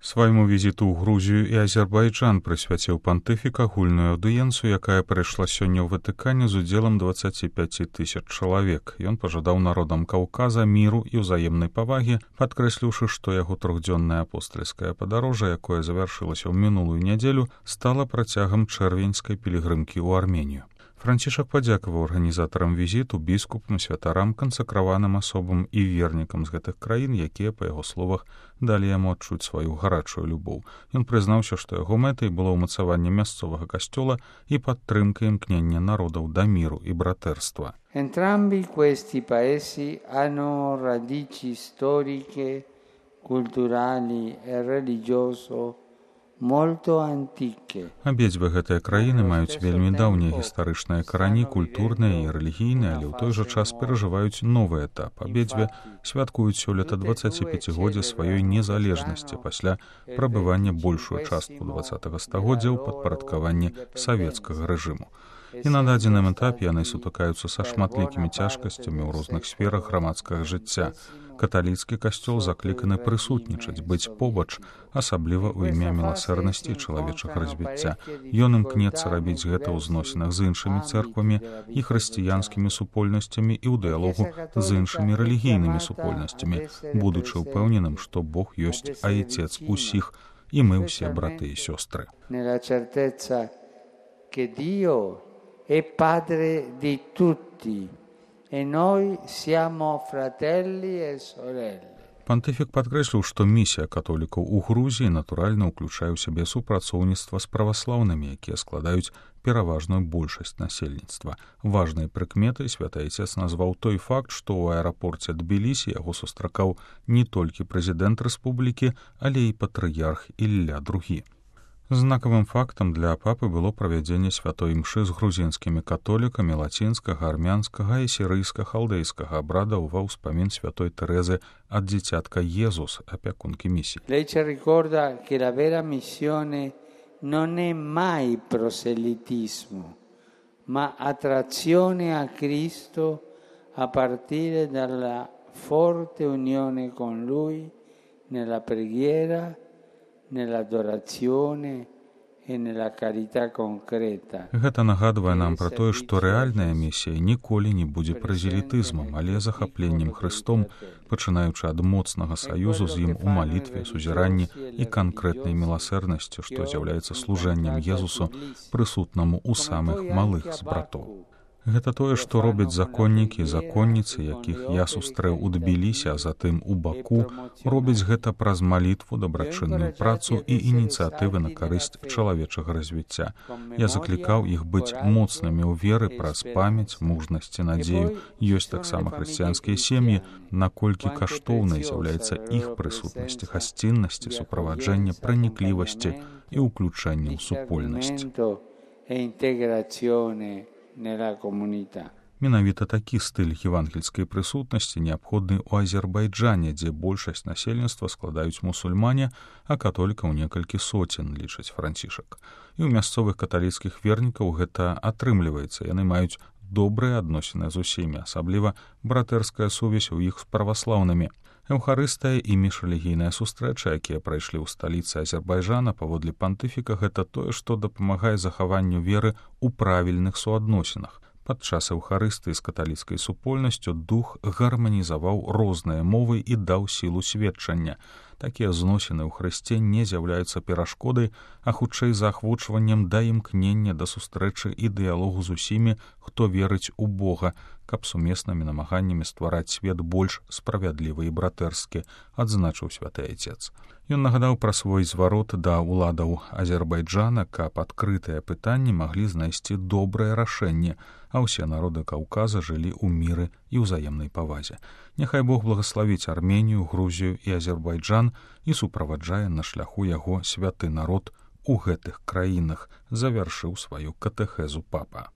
Свайму візіту ў Грузію і Азербайджан прысвяціў пантыфік агульную аўдыенцыю, якая прайшла сёння ў Ватыкане з удзелам 25 000 чалавек. Ён пажадаў народам Каўказа міру і ўзаемнай павагі, падкрэсліўшы, што яго трохдзённае апостальскае падарожжа, якое завяршылася ў мінулую нядзелю, стала працягам чэрвеньскай пілігрымкі ў Арменію. Францішак падзякаваў арганізатарам візіту, біскупам, святарам, кансакраваным асобам і вернікам з гэтых краін, якія, па яго словах, далі яму адчуць сваю гарачую любоў. Ён прызнаўся, што яго мэтай было ўмацаванне мясцовага касцёла і падтрымка імкнення народаў да міру і братэрства. Entrambi questi paesi hanno radici storiche, culturali e religiose molto antiche. Абедзве гэтыя краіны маюць вельмі даўнія гістарычныя карані, культурныя і рэлігійныя, але ў той жа час перажываюць новы этап. Абедзве святкуюць сёлета 25годдзя сваёй незалежнасці пасля прабывання большую частку 20-го стагоддзя ў падпарадкаванні савецкага рэжыму. І на дадзеным этапе яны сутыкаюцца са шматлікімі цяжкасцямі ў розных сферах грамадскага жыцця. Каталіцкі касцёл закліканы прысутнічаць, быць побач, асабліва ў імя міласэрнасці і чалавечага развіцця. Ён імкнецца рабіць гэта ў зносінах з іншымі цэрквамі і хрысціянскімі супольнасцямі і ў дыялогу з іншымі рэлігійнымі супольнасцямі, будучы ўпэўненым, што Бог ёсць айцец усіх, і мы ўсе браты і сёстры. È padre di tutti e noi siamo fratelli e sorelle. Пантыфік падкрэсліў, што місія католікаў у Грузіі натуральна ўключае ў сябе супрацоўніцтва з праваслаўнымі, якія складаюць пераважную большасць насельніцтва. Важнай прыкметай святы айцец назваў той факт, што ў аэрапорце Тбілісі яго сустракаў не толькі прэзідэнт рэспублікі, але і патрыярх Ілля II. Знакавым фактам для папы было правядзенне святой імшы з грузінскімі католікамі лацінскага, армянскага і сірыйска-халдэйскага абрадаў ва ўспамін святой Тэрэзы ад дзіцятка Езус, апякункі місій. Lei ci ricorda che la vera missione non è mai proselitismo, ma attrazione a Cristo a partire dalla forte unione con Lui nella preghiera, nell'adorazione e nella carità concreta. Гэта нагадвае нам пра тое, што рэальная місія ніколі не будзе празелітызмам, але захапленнем Хрыстом, пачынаючы ад моцнага саюзу з ім у малітве, сузіранні і канкрэтнай міласэрнасці, што з'яўляецца служэннем Езусу, прысутнаму ў самых малых з братоў. Гэта тое, што робяць законнікі і законніцы, якіх я сустрэў у Тбілісі, а затым у Баку, робяць гэта праз малітву, дабрачынную працу і ініцыятывы на карысць чалавечага развіцця. Я заклікаў іх быць моцнымі ў веры праз памяць, мужнасць і надзею. Ёсць таксама хрысціянскія сем'і, наколькі каштоўнай з'яўляецца іх прысутнасць, гасціннасці, суправаджэнне, праніклівасці і ўключэнне ў супольнасць. Менавіта такі стыль евангельскай прысутнасці неабходны ў Азербайджане, дзе большасць насельніцтва складаюць мусульмане, а католікаў некалькі соцень, лічыць Францішак. І ў мясцовых каталіцкіх вернікаў гэта атрымліваецца. Яны маюць добрыя адносіны з усімі, асабліва братэрская сувязь у іх з праваслаўнымі. Эўхарыстая і міжрэлігійная сустрэча, якія прайшлі ў сталіцы Азербайджана, паводле пантыфіка, гэта тое, што дапамагае захаванню веры ў правільных суадносінах. Падчас эўхарыстыі з каталіцкай супольнасцю дух гарманізаваў розныя мовы і даў сілу сведчання. Такія зносіны ў Хрысце не з'яўляюцца перашкодай, а хутчэй заахвочваннем да імкнення да сустрэчы і дыялогу з усімі, хто верыць у Бога, каб сумеснымі намаганнямі ствараць свет больш справядлівы і братэрскі, адзначыў святы айцец. Ён нагадаў пра свой зварот да ўладаў Азербайджана, каб адкрытыя пытанні маглі знайсці добрае рашэнне, а ўсе народы Каўказа жылі ў міры і ўзаемнай павазе. Няхай Бог благаславіць Арменію, Грузію і Азербайджан і суправаджае на шляху яго святы народ у гэтых краінах, завяршыў сваю катэхезу папа.